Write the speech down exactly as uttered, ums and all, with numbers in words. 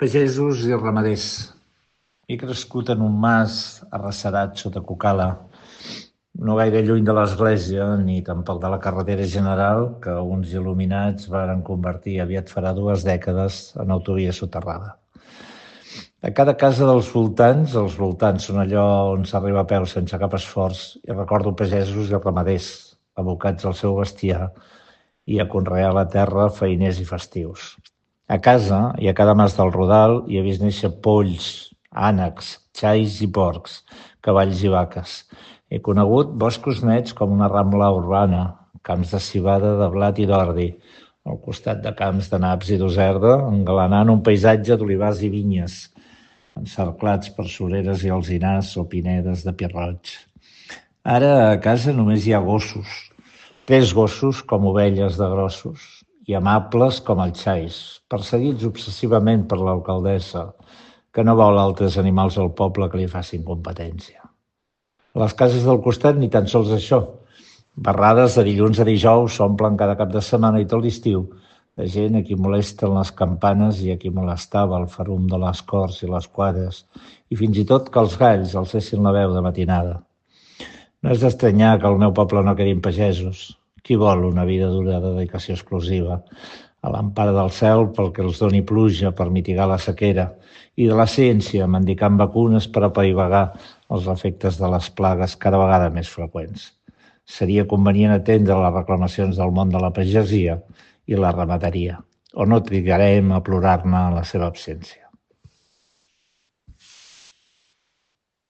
Pagesos i ramaders. He crescut en un mas arrecerat sota Cucala, no gaire lluny de l'església ni tampoc de la carretera general que uns il·luminats varen convertir aviat farà dues dècades en autovia soterrada. A cada casa dels voltants, els voltants són allò on s'arriba a peu sense cap esforç, i recordo pagesos i ramaders, abocats al seu bestiar i a conrear la terra feiners i festius. A casa i a cada mas del Rodal hi he vist néixer polls, ànecs, xais i porcs, cavalls i vaques. He conegut boscos nets com una rambla urbana, camps de civada, de blat i d'ordi, al costat de camps de naps i d'userda, engalanant un paisatge d'olivars i vinyes, encerclats per sureres i alzinars o pinedes de pi roig. Ara a casa només hi ha gossos, tres gossos com ovelles de grossos, i amables com els xais, perseguits obsessivament per l'alcaldessa, que no vol altres animals al poble que li facin competència. A les cases del costat ni tan sols això. Barrades de dilluns a dijous s'omplen cada cap de setmana i tot l'estiu de gent a qui molesten les campanes i a qui molestava el ferum de les corts i les quadres, i fins i tot que els galls alcessin la veu de matinada. No és d'estranyar que al meu poble no quedin pagesos. Qui vol una vida d'una dedicació exclusiva, a l'empara del cel pel que els doni pluja per mitigar la sequera, i de la ciència mendicant vacunes per apaivagar els efectes de les plagues cada vegada més freqüents. Seria convenient atendre les reclamacions del món de la pagesia i la ramaderia, o no trigarem a plorar-ne en la seva absència.